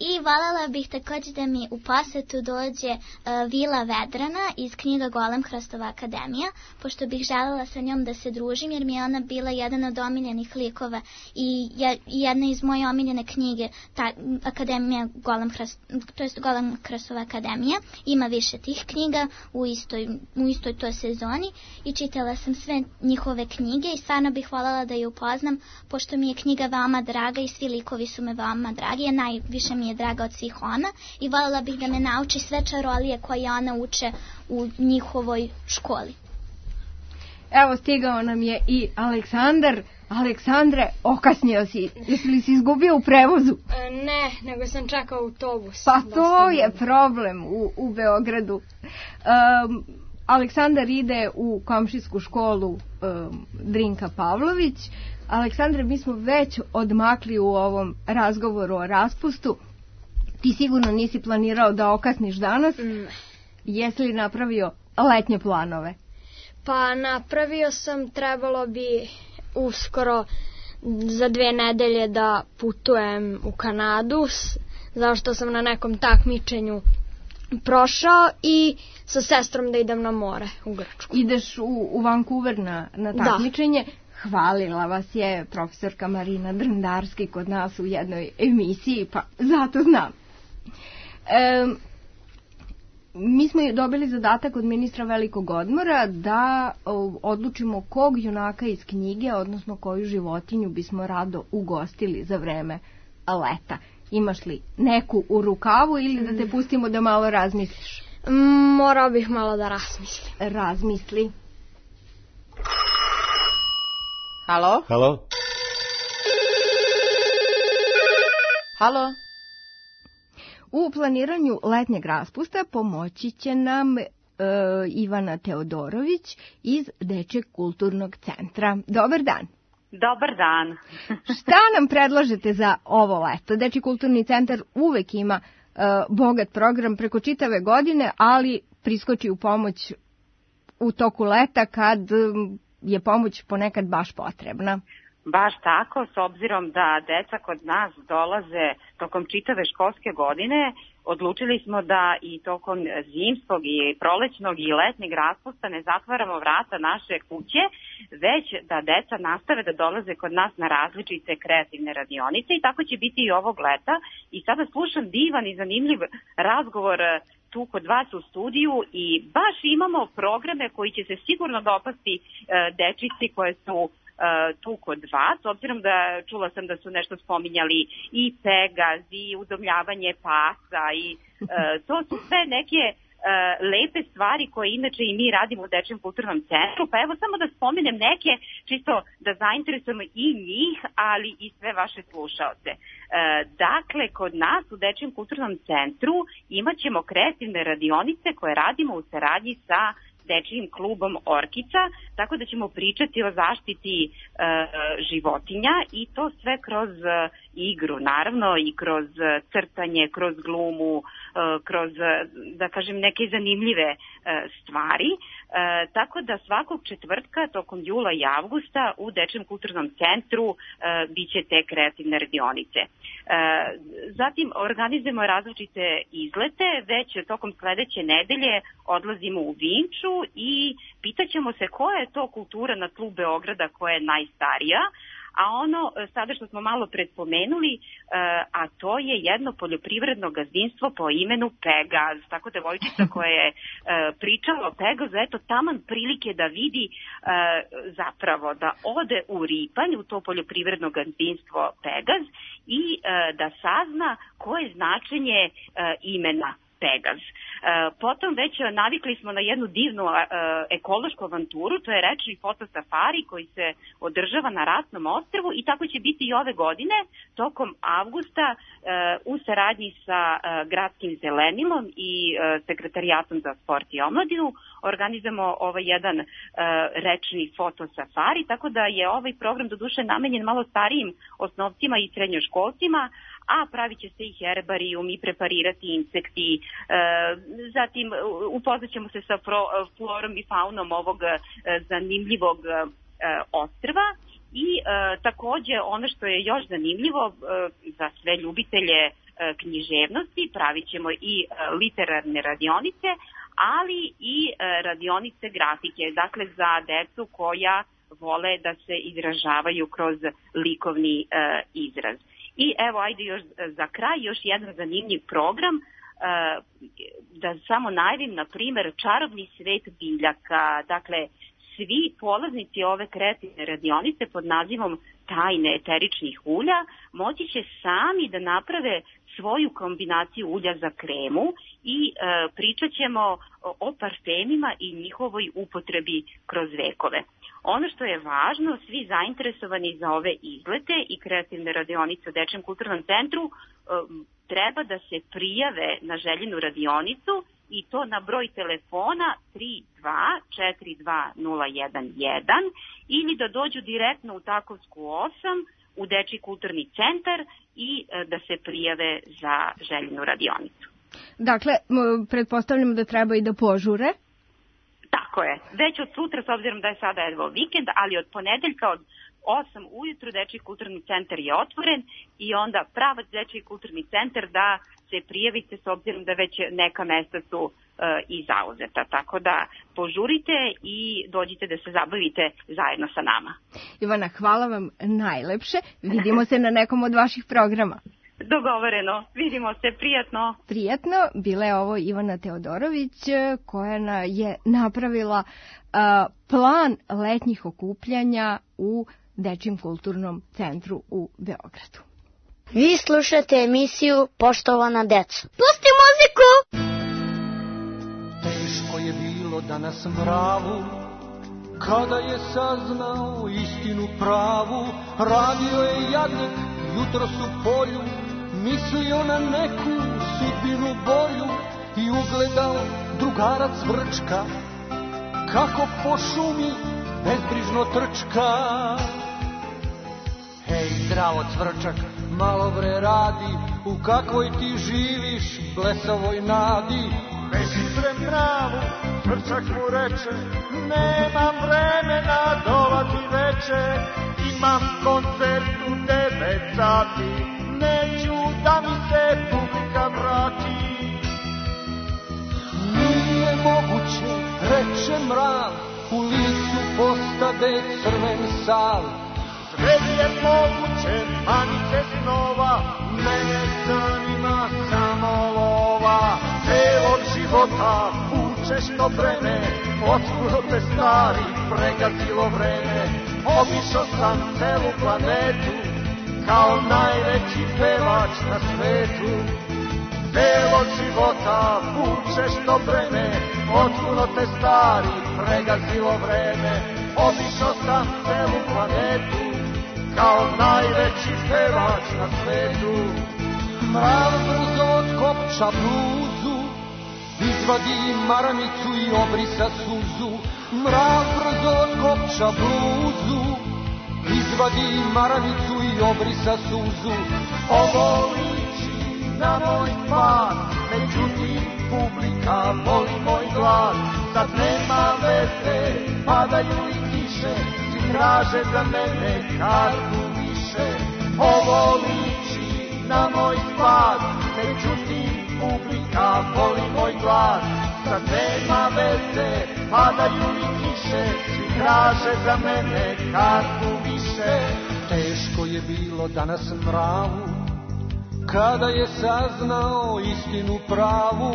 I voljela bih također da mi u posjetu dođe uh, Vila Vedrana iz knjiga Golem Hrastova akademija, pošto bih željela sa njom da se družim, jer mi je ona bila jedan od omiljenih likova i jedna iz moje omiljene knjige, ta akademija Golem, Hrast, to jest Golem Hrastova akademija. Ima više tih knjiga u istoj, u istoj toj sezoni i čitala sam sve njihove knjige i stvarno bih voljela da je upoznam, pošto mi je knjiga veoma draga i svi likovi su me veoma dragi, a najviše mi je je draga od svih ona i voljela bih da me nauči sve čarolije koje ona uče u njihovoj školi. Evo stigao nam je i Aleksandar. Aleksandre, okasnio si. Jesi li si izgubio u prevozu? E, ne, nego sam čekao autobus. Pa to je problem u, u Beogradu. Um, Aleksandar ide u komšijsku školu um, Drinka Pavlović. Aleksandre, mi smo već odmakli u ovom razgovoru o raspustu. Ti sigurno nisi planirao da okasniš danas. Mm. Jesi li napravio letnje planove? Pa napravio sam, trebalo bi uskoro za dve nedelje da putujem u Kanadu, zašto sam na nekom takmičenju prošao, i sa sestrom da idem na more u Grčku. Ideš u, u Vancouver na, na takmičenje. Da. Hvalila vas je profesorka Marina Drndarski kod nas u jednoj emisiji, pa zato znam. E, mi smo dobili zadatak od ministra Velikog odmora da odlučimo kog junaka iz knjige, odnosno koju životinju bismo rado ugostili za vreme leta. Imaš li neku u rukavu ili da te pustimo da malo razmisliš? Morao bih malo da razmislim. Razmisli. Halo? Halo? Halo? U planiranju letnjeg raspusta pomoći će nam e, Ivana Teodorović iz Dečjeg kulturnog centra. Dobar dan. Dobar dan. Šta nam predlažete za ovo leto? Dečji kulturni centar uvek ima e, bogat program preko čitave godine, ali priskoči u pomoć u toku leta kad je pomoć ponekad baš potrebna. Baš tako, s obzirom da deca kod nas dolaze tokom čitave školske godine, odlučili smo da i tokom zimskog i prolećnog i letnjeg raspusta ne zatvaramo vrata naše kuće, već da deca nastave da dolaze kod nas na različite kreativne radionice, i tako će biti i ovog leta. I sada slušam divan i zanimljiv razgovor tu kod vas u studiju i baš imamo programe koji će se sigurno dopasti e, dečici koje su tu kod vas, obzirom da čula sam da su nešto spominjali i Pegaz i udomljavanje pasa i e, to su sve neke e, lepe stvari koje inače i mi radimo u Dečjem kulturnom centru, pa evo samo da spomenem neke, čisto da zainteresujemo i njih, ali i sve vaše slušaoce. E, dakle, kod nas u Dečjem kulturnom centru imat ćemo kreativne radionice koje radimo u saradnji sa Dečijim klubom Orkica, tako da ćemo pričati o zaštiti e, životinja, i to sve kroz e, igru, naravno, i kroz crtanje, kroz glumu, e, kroz, da kažem, neke zanimljive e, stvari. E, tako da svakog četvrtka tokom jula i avgusta u Dečjem kulturnom centru e, bit će te kreativne radionice. E, zatim organizujemo različite izlete, već tokom sledeće nedelje odlazimo u Vinču i pitaćemo se koja je to kultura na tlu Beograda koja je najstarija, a ono sada što smo malo predpomenuli, a to je jedno poljoprivredno gazdinstvo po imenu Pegaz. Tako da devojčica koja je pričala o Pegazu, eto taman prilike da vidi zapravo da ode u Ripanj, u to poljoprivredno gazdinstvo Pegaz, i da sazna koje je značenje imena Pegaz. Potom već navikli smo na jednu divnu ekološku avanturu, to je rečni fotosafari koji se održava na Rasnom ostrvu, i tako će biti i ove godine tokom avgusta u saradnji sa Gradskim zelenilom i Sekretarijatom za sport i omladinu organizujemo ovaj jedan rečni fotosafari, tako da je ovaj program doduše namenjen malo starijim osnovcima i srednjoškolcima, a pravit će se i herbarijum i preparirati insekti. E, zatim upoznat ćemo se sa pro, florom i faunom ovog e, zanimljivog e, ostrva, i e, takođe ono što je još zanimljivo e, za sve ljubitelje e, književnosti, pravit ćemo i e, literarne radionice, ali i e, radionice grafike, dakle za decu koja vole da se izražavaju kroz likovni e, izraz. I evo, ajde još za kraj, još jedan zanimljiv program, da samo najavim, na primer, čarobni svet biljaka. Dakle, svi polaznici ove kreativne radionice pod nazivom Tajne eteričnih ulja moći će sami da naprave svoju kombinaciju ulja za kremu i e, pričat ćemo o parfemima i njihovoj upotrebi kroz vekove. Ono što je važno, svi zainteresovani za ove izlete i kreativne radionice u Dečjem kulturnom centru e, treba da se prijave na željenu radionicu, i to na broj telefona tri dva četiri dva nula jedan jedan, ili da dođu direktno u Takovsku osam u Dečji kulturni centar i da se prijave za željenu radionicu. Dakle, pretpostavljam da treba i da požure? Tako je. Već od sutra, s obzirom da je sada evo vikend, ali od ponedeljka od osam ujutru Dečiji kulturni centar je otvoren i onda pravac Dečiji kulturni centar da se prijavite s obzirom da već neka mesta su e, i zauzeta. Tako da požurite i dođite da se zabavite zajedno sa nama. Ivana, hvala vam najlepše. Vidimo se na nekom od vaših programa. Dogovoreno. Vidimo se. Prijatno. Prijatno. Bila je ovo Ivana Teodorović koja je napravila a, plan letnjih okupljanja u Dečijem kulturnom centru u Beogradu. Vi slušate emisiju Poštovana deco. Pusti muziku! Teško je bilo danas mravu, kada je saznao istinu pravu. Radio je jadnik jutros u polju, mislio na neku sudbinu bolju i ugledao drugara Cvrčka, kako po šumi bezbrižno trčka. Hej, zdravo Cvrčak, malo bre radi, u kakvoj ti živiš blesavoj nadi. Beži pre mravu, Cvrčak mu reče, nemam vremena dolati veče, imam koncert u devet sati, neću da mi se publika vrati. Nije moguće, reče mrav, u licu postade crven sav. Sve je moguće, manite snova, mene zanima samo lova. Celog života vučeš to breme, otkuro te stari pregazilo vreme. Obišao sam celu planetu, kao najveći pevač na svetu. Celog života vučeš to breme, otkuro te stari pregazilo vreme. Obišao sam celu planetu, kao najveći pevač na svetu. Mrav brzo otkopča bluzu, izvadi maramicu i obrisa suzu. Mrav brzo otkopča bluzu, izvadi maramicu i obrisa suzu. Ovo liči na moj pad, međutim publika voli moj glas. Sad nema veze, padaju i kiše, traže za mene kartu više. Ovo liči na moj spad, međutim publika voli moj glas. Sad nema veze, padaju li kiše, svi traže za mene kartu više. Teško je bilo danas mravu, kada je saznao istinu pravu.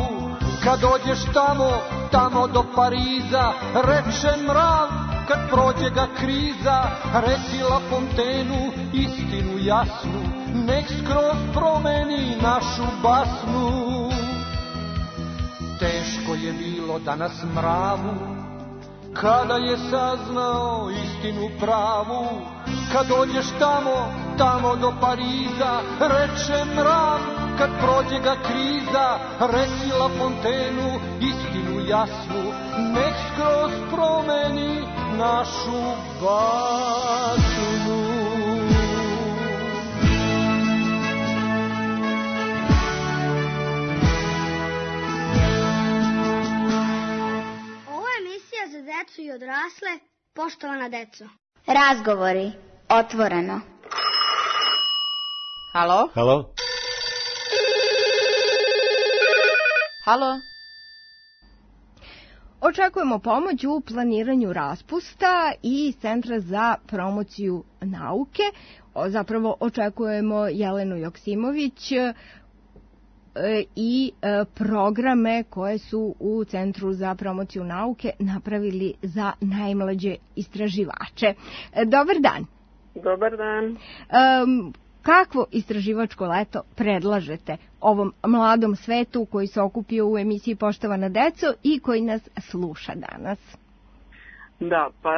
Kad dođeš tamo, tamo do Pariza, reče mrav, kad prođe ga kriza, reci La Fontenu istinu jasnu, nek skroz promeni našu basnu. Teško je bilo danas mravu, kada je saznao istinu pravu. Kad dođeš tamo, tamo do Pariza, reče mrav, kad prođe ga kriza, reci La Fontenu istinu jasnu, nek skroz promeni našu basnu. Ovo je emisija za decu i odrasle. Poštovana deco. Razgovori. Otvoreno. Halo? Halo? Halo? Očekujemo pomoć u planiranju raspusta i Centra za promociju nauke. O, zapravo očekujemo Jelenu Joksimović e, i e, programe koje su u Centru za promociju nauke napravili za najmlađe istraživače. E, dobar dan. Dobar dan. E, Kakvo istraživačko leto predlažete ovom mladom svetu koji se okupio u emisiji Poštovana deco i koji nas sluša danas? Da, pa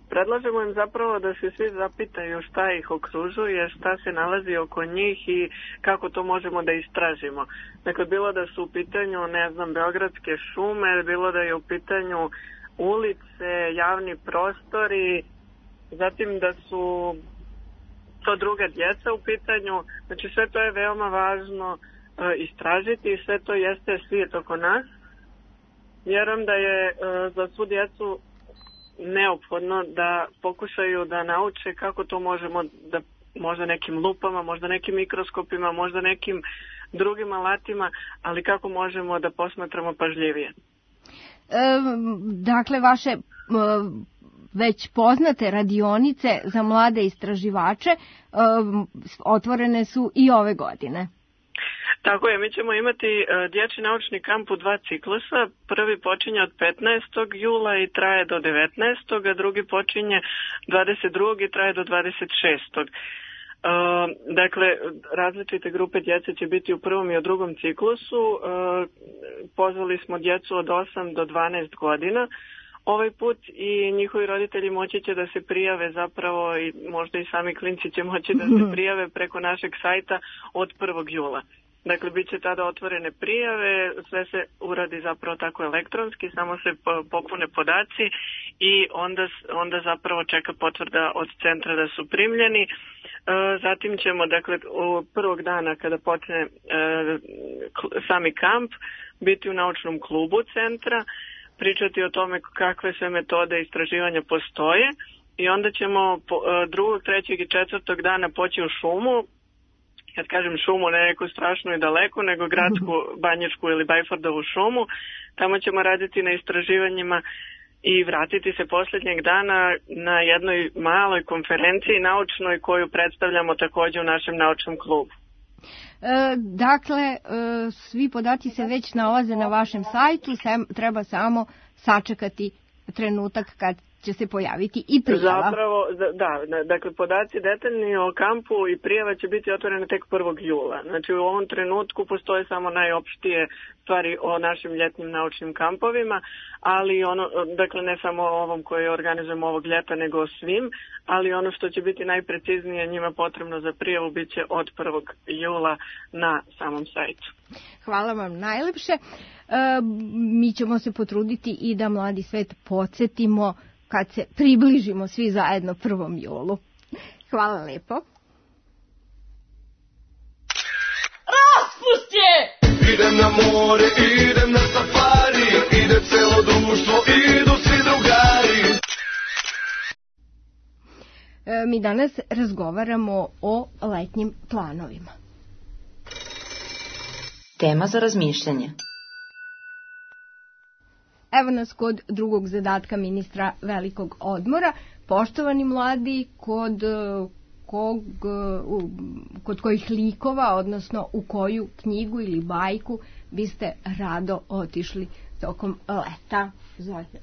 predlažemo im zapravo da se svi zapitaju šta ih okružuje, šta se nalazi oko njih i kako to možemo da istražimo. Dakle, bilo da su u pitanju, ne znam, beogradske šume, bilo da je u pitanju ulice, javni prostori, zatim da su to druga djeca u pitanju, znači sve to je veoma važno e, istražiti i sve to jeste svijet oko nas vjerujem da je za svu djecu neophodno da pokušaju da nauče kako to možemo da možda nekim lupama, možda nekim mikroskopima, možda nekim drugim alatima, ali kako možemo da posmatramo pažljivije. E, dakle, vaše e, već poznate radionice za mlade istraživače e, otvorene su i ove godine. Tako je, mi ćemo imati uh, dječji naučni kamp u dva ciklusa. Prvi počinje od petnaestog jula i traje do devetnaestog a drugi počinje dvadeset drugog i traje do dvadeset šestog Uh, dakle, različite grupe djece će biti u prvom i u drugom ciklusu. Uh, pozvali smo djecu od osam do dvanaest godina ovaj put i njihovi roditelji moći će da se prijave zapravo i možda i sami klinci će moći da se prijave preko našeg sajta od prvog jula. Dakle, bit će tada otvorene prijave, sve se uradi zapravo tako elektronski, samo se popune podaci i onda, onda zapravo čeka potvrda od centra da su primljeni. Zatim ćemo, dakle, u prvog dana kada počne sami kamp, biti u naučnom klubu centra, pričati o tome kakve sve metode istraživanja postoje i onda ćemo drugog, trećeg i četvrtog dana poći u šumu. Kad kažem šumu, ne neku strašnu i daleku, nego gradsku, Banjičku ili Bajfordovu šumu. Tamo ćemo raditi na istraživanjima i vratiti se posljednjeg dana na jednoj maloj konferenciji naučnoj koju predstavljamo također u našem naučnom klubu. E, dakle, e, svi podaci se već nalaze na vašem sajtu, sem, treba samo sačekati trenutak kad će se pojaviti i prijava. Zapravo, da, dakle, podaci detaljni o kampu i prijava će biti otvorene tek prvog jula. Znači, u ovom trenutku postoje samo najopštije stvari o našim ljetnim naučnim kampovima, ali ono, dakle, ne samo o ovom koji organizujemo ovog ljeta, nego o svim, ali ono što će biti najpreciznije njima potrebno za prijavu bit će od prvog jula na samom sajtu. Hvala vam najlepše. E, mi ćemo se potruditi i da mladi svet podsjetimo kad se približimo svi zajedno prvom julu. Hvala lepo. Raspust je! Idem na more, idem na safari, ide celo društvo, idu svi drugari. E, mi danas razgovaramo o letnjim planovima. Tema za razmišljanje. Evo nas kod drugog zadatka ministra velikog odmora. Poštovani mladi, kod, kog, kod kojih likova, odnosno u koju knjigu ili bajku biste rado otišli tokom leta? Zovite.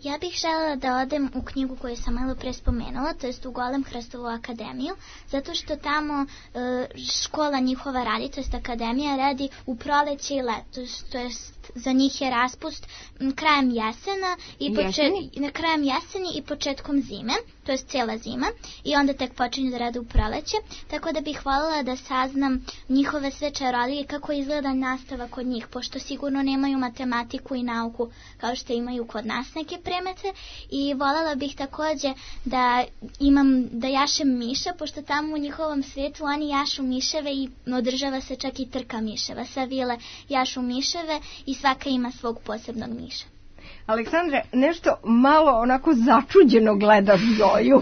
Ja bih željela da odem u knjigu koju sam malo pre spomenula, to jest u Golem Hrstovu akademiju, zato što tamo e, škola njihova radi, to jest akademija radi u proleće i leto, to jest za njih je raspust m, krajem jesena i počet, krajem jeseni i početkom zime, to jest cijela zima, i onda tek počinju da rade u proleće, tako da bih voljela da saznam njihove sve čarolije, kako izgleda nastava kod njih, pošto sigurno nemaju matematiku i nauku kao što imaju kod nas neke premete, i voljela bih također da imam, da jašem miša, pošto tamo u njihovom svijetu oni jašu miševe i održava se čak i trka miševa. Sve vile jašu miševe i svaka ima svog posebnog miša. Aleksandre, nešto malo onako začuđeno gledaš Zoju.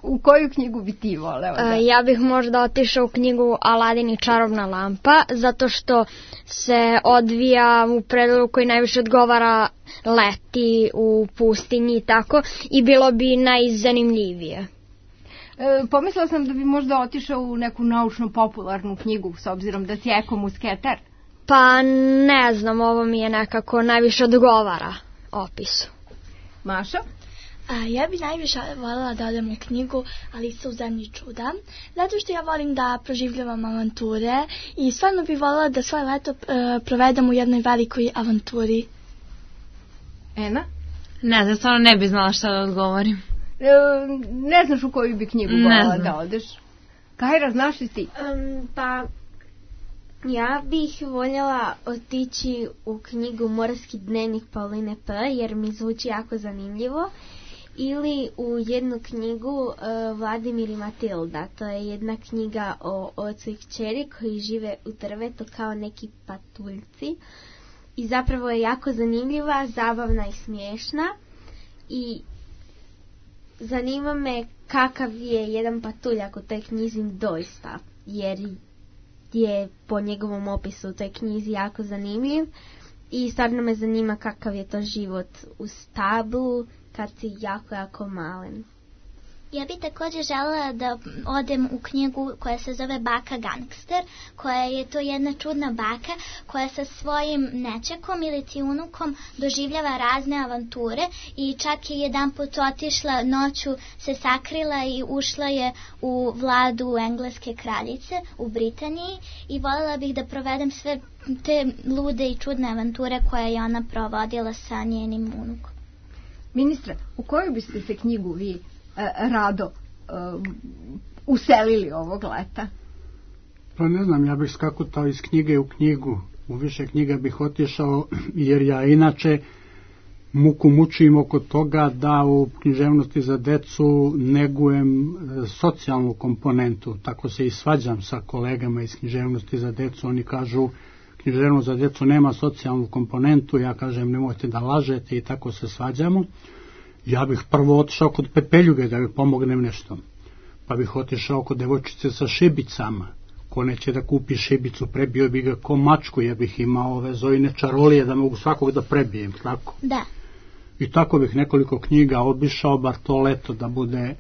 U koju knjigu bi ti voleo? Da? Ja bih možda otišao u knjigu Aladin i čarobna lampa, zato što se odvija u predelu koji najviše odgovara leti u pustinji i tako, i bilo bi najzanimljivije. E, pomislila sam da bi možda otišao u neku naučno-popularnu knjigu, s obzirom da si ekomusketer. Pa ne znam, ovo mi je nekako najviše odgovara opisu. Maša? A, ja bi najviše voljela da odem u knjigu Alica u zemlji čuda, zato što ja volim da proživljavam avanture i stvarno bi voljela da svoje leto e, provedem u jednoj velikoj avanturi. Ena? Ne znam, stvarno ne bi znala šta da odgovorim. E, ne znaš u koju bi knjigu voljela da odeš? Kajra, znaš li ti? Um, pa... Ja bih voljela otići u knjigu Morski dnevnik Pauline P. jer mi zvuči jako zanimljivo. Ili u jednu knjigu uh, Vladimir i Matilda. To je jedna knjiga o ocu i kćeri koji žive u drvetu kao neki patuljci. i zapravo je jako zanimljiva, zabavna i smiješna i zanima me kakav je jedan patuljak u toj knjizi doista, jer je po njegovom opisu u toj knjizi jako zanimljiv i stvarno me zanima kakav je to život u stablu kad si jako, jako malen. Ja bih također željela da odem u knjigu koja se zove Baka Gangster, koja je to jedna čudna baka koja sa svojim nečekom ili ti unukom doživljava razne avanture i čak je jedan put otišla noću, se sakrila i ušla je u vladu engleske kraljice u Britaniji i voljela bih da provedem sve te lude i čudne avanture koje je ona provodila sa njenim unukom. Ministre, u koju biste se knjigu vi rado uh, uselili ovog leta? Pa ne znam, ja bih skakutao iz knjige u knjigu. U više knjiga bih otišao, jer ja inače muku mučim oko toga da u književnosti za decu negujem socijalnu komponentu. Tako se i svađam sa kolegama iz književnosti za decu. Oni kažu književnost za decu nema socijalnu komponentu, ja kažem nemojte da lažete i tako se svađamo. Ja bih prvo otišao kod Pepeljuge da joj pomognem nešto. Pa bih otišao kod devojčice sa šibicama. Ko neće da kupi šibicu, prebio bi ga ko mačku, ja bih imao ove Zojine čarolije da mogu svakog da prebijem, tako? Da. I tako bih nekoliko knjiga obišao, bar to leto da bude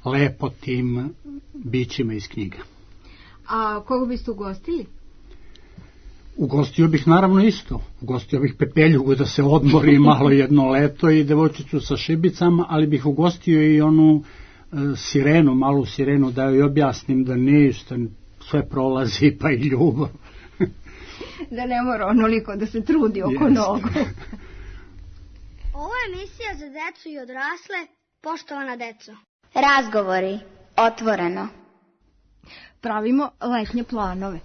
lepo tim bićima iz knjiga. A koga biste ugostili? Ugostio bih naravno isto. Ugostio bih Pepeljugu da se odmori malo jedno leto i devojčicu sa šibicama, ali bih ugostio i onu e, sirenu, malu sirenu, da joj objasnim da ništa, sve prolazi pa i ljubav. Da ne mora onoliko da se trudi oko yes. nogu. Ovo je emisija za decu i odrasle, poštovana deco. Razgovori, otvoreno. Pravimo letnje planove.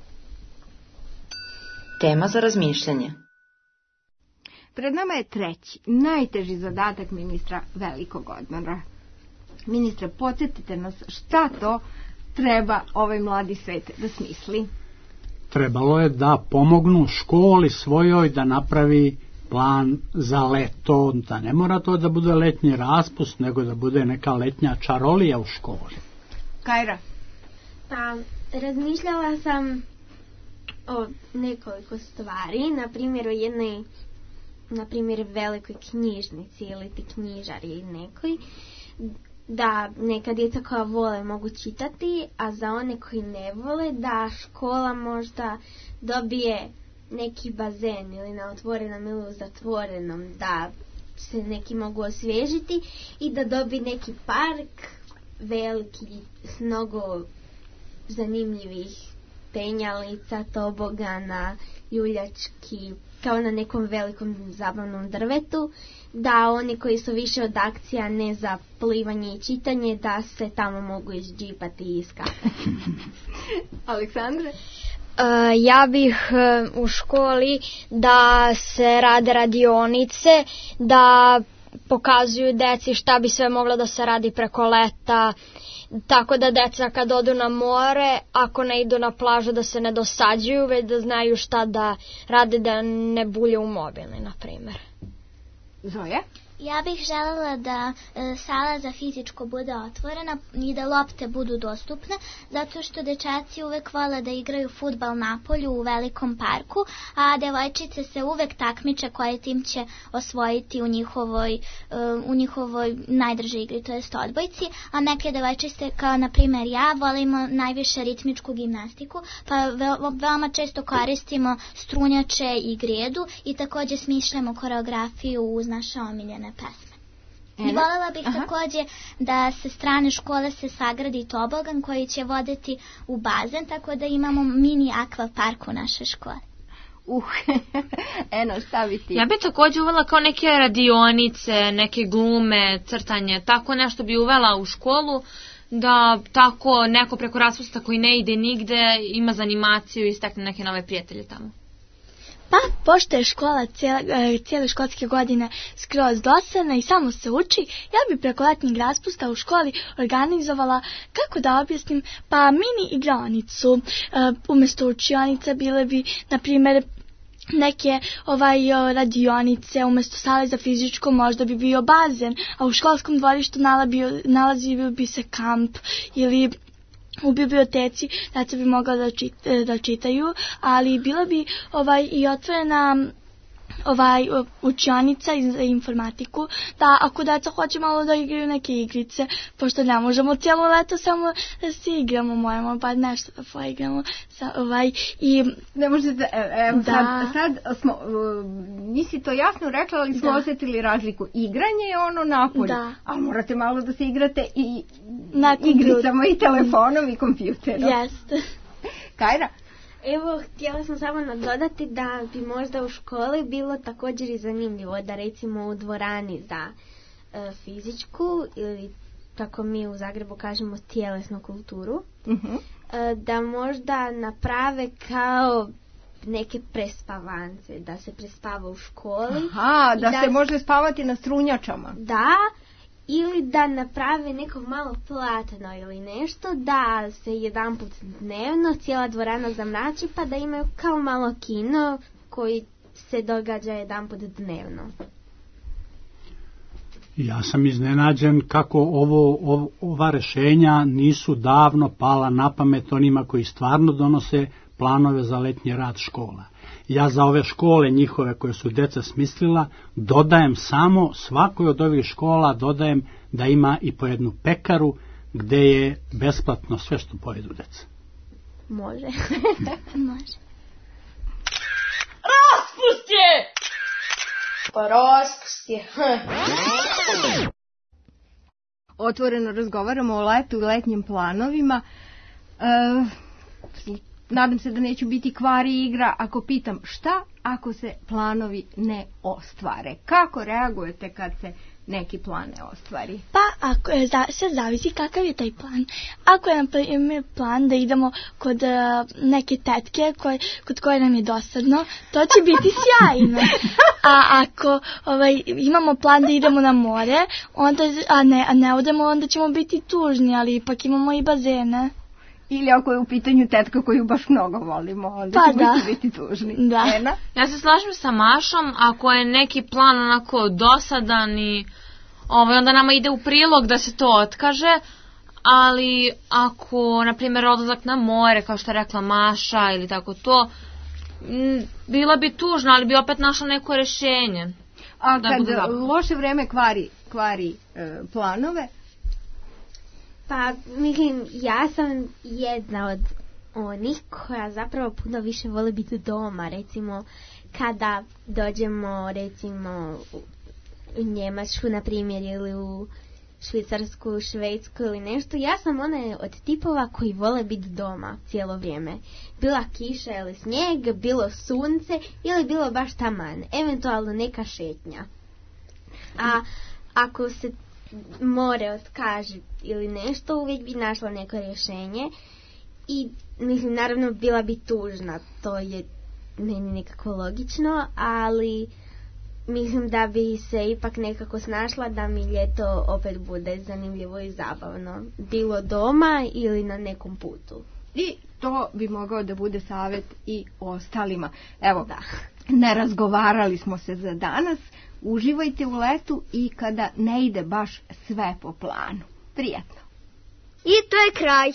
Tema za razmišljanje. Pred nama je treći, najteži zadatak ministra velikog odmora. Ministre, podsjetite nas šta to treba ovaj mladi svet da smisli. Trebalo je da pomognu školi svojoj da napravi plan za leto, da ne mora to da bude letnji raspust, nego da bude neka letnja čarolija u školi. Kajra? Pa, razmišljala sam o nekoliko stvari, na primjer o jednoj, na primjer velikoj knjižnici ili ti knjižari nekoj, da neka djeca koja vole mogu čitati, a za one koji ne vole da škola možda dobije neki bazen ili na otvorenom ili u zatvorenom, da se neki mogu osvježiti i da dobije neki park veliki s mnogo zanimljivih penjalica, tobogana, ljuljački, kao na nekom velikom zabavnom drvetu, da oni koji su više od akcija ne za plivanje i čitanje, da se tamo mogu izđipati i iskakati. Aleksandre? Uh, ja bih uh, u školi da se rade radionice, da pokazuju deci šta bi sve moglo da se radi preko leta, tako da deca kad odu na more, ako ne idu na plažu da se ne dosađuju, već da znaju šta da rade, da ne bulje u mobilni, na primjer. Zoja? Ja bih željela da e, sala za fizičko bude otvorena i da lopte budu dostupne, zato što dečaci uvek vole da igraju fudbal na polju u velikom parku, a devojčice se uvek takmiče koje tim će osvojiti u njihovoj, e, u njihovoj najdržoj igri, to jest odbojci, a neke devojčice kao na primjer ja volimo najviše ritmičku gimnastiku, pa ve, veoma često koristimo strunjače i gredu i također smišljamo koreografiju uz naše omiljene pesme. I voljela bih Aha. također da se strane škole se sagradi tobogan koji će voditi u bazen, tako da imamo mini akvapark u našoj školi. Uh, eno, šta bi ti? Ja bih također uvela kao neke radionice, neke glume, crtanje, tako nešto bi uvela u školu, da tako neko preko raspusta koji ne ide nigde ima za animaciju i stekne neke nove prijatelje tamo. Pa, pošto je škola cijele, cijele školske godine skroz dosadna i samo se uči, ja bi preko letnjeg raspusta u školi organizovala, kako da objasnim, pa mini igronicu. Uh, umjesto učionice bile bi, na primjer, neke ovaj radionice, umesto sale za fizičko možda bi bio bazen, a u školskom dvorištu nalazio, nalazio bi se kamp ili u biblioteci deca bi mogla da, čit, da čitaju, ali bila bi ovaj i otvorena ovaj učionica za informatiku, da ako deca hoće malo da igraju neke igrice, pošto ne možemo cijelo leto samo da se igramo, moramo pa nešto da poigramo. Sa, ovaj, i ne možete, evo da. sad, sad smo, uh, nisi to jasno rekla, ali smo da. osjetili razliku. Igranje je ono napolje, da. A morate malo da se igrate i na igricama i telefonom i kompjuterom. Jeste. Kajra? Evo, htjela sam samo nadodati da bi možda u školi bilo također i zanimljivo da recimo u dvorani za e, fizičku ili kako mi u Zagrebu kažemo tjelesnu kulturu, uh-huh. e, da možda naprave kao neke prespavance, da se prespava u školi. Aha, da, da se može spavati na strunjačama. Da, ili da naprave neko malo platno ili nešto, da se jedanput dnevno cijela dvorana zamrači pa da imaju kao malo kino koji se događa jedanput dnevno. Ja sam iznenađen kako ovo, ov, ova rešenja nisu davno pala na pamet onima koji stvarno donose planove za letnji rad škola. Ja za ove škole njihove koje su deca smislila dodajem samo svakoj od ovih škola dodajem da ima i po jednu pekaru gde je besplatno sve što pojedu deca. Može. Može. Raspust je! Pa raspust je. Otvoreno razgovaramo o letu i letnjim planovima. E, Nadam se da neću biti kvari igra ako pitam šta ako se planovi ne ostvare. Kako reagujete kad se neki plan ne ostvari? Pa ako je, za, sve zavisi kakav je taj plan. Ako je na primjer plan da idemo kod uh, neke tetke koj, kod koje nam je dosadno, to će biti sjajno. A ako ovaj, imamo plan da idemo na more, onda, a, ne, a ne odemo, onda ćemo biti tužni, ali ipak imamo i bazene. Ili ako je u pitanju tetka koju baš mnogo volimo, onda pa ćemo da. biti tužni. Da. Ena? Ja se slažem sa Mašom, ako je neki plan onako dosadan i ovaj, onda nama ide u prilog da se to otkaže, ali ako, na primjer, odlazak na more, kao što je rekla Maša ili tako to, m, bila bi tužna, ali bi opet našla neko rešenje. A da kad loše vreme kvari, kvari e, planove? Pa, mislim, ja sam jedna od onih koja zapravo puno više voli biti doma, recimo, kada dođemo, recimo, u Njemačku, na primjer, ili u Švicarsku, Švedsku ili nešto, ja sam ona od tipova koji vole biti doma cijelo vrijeme. Bila kiša ili snijeg, bilo sunce ili bilo baš taman, eventualno neka šetnja. A ako se more otkaže ili nešto, uvijek bi našla neko rješenje i mislim, naravno bila bi tužna, to je meni nekako logično, ali mislim da bi se ipak nekako snašla da mi ljeto opet bude zanimljivo i zabavno, bilo doma ili na nekom putu. I to bi mogao da bude savjet i ostalima. Evo, da. Ne razgovarali smo se za danas. Uživajte u letu i kada ne ide baš sve po planu. Prijatno. I to je kraj.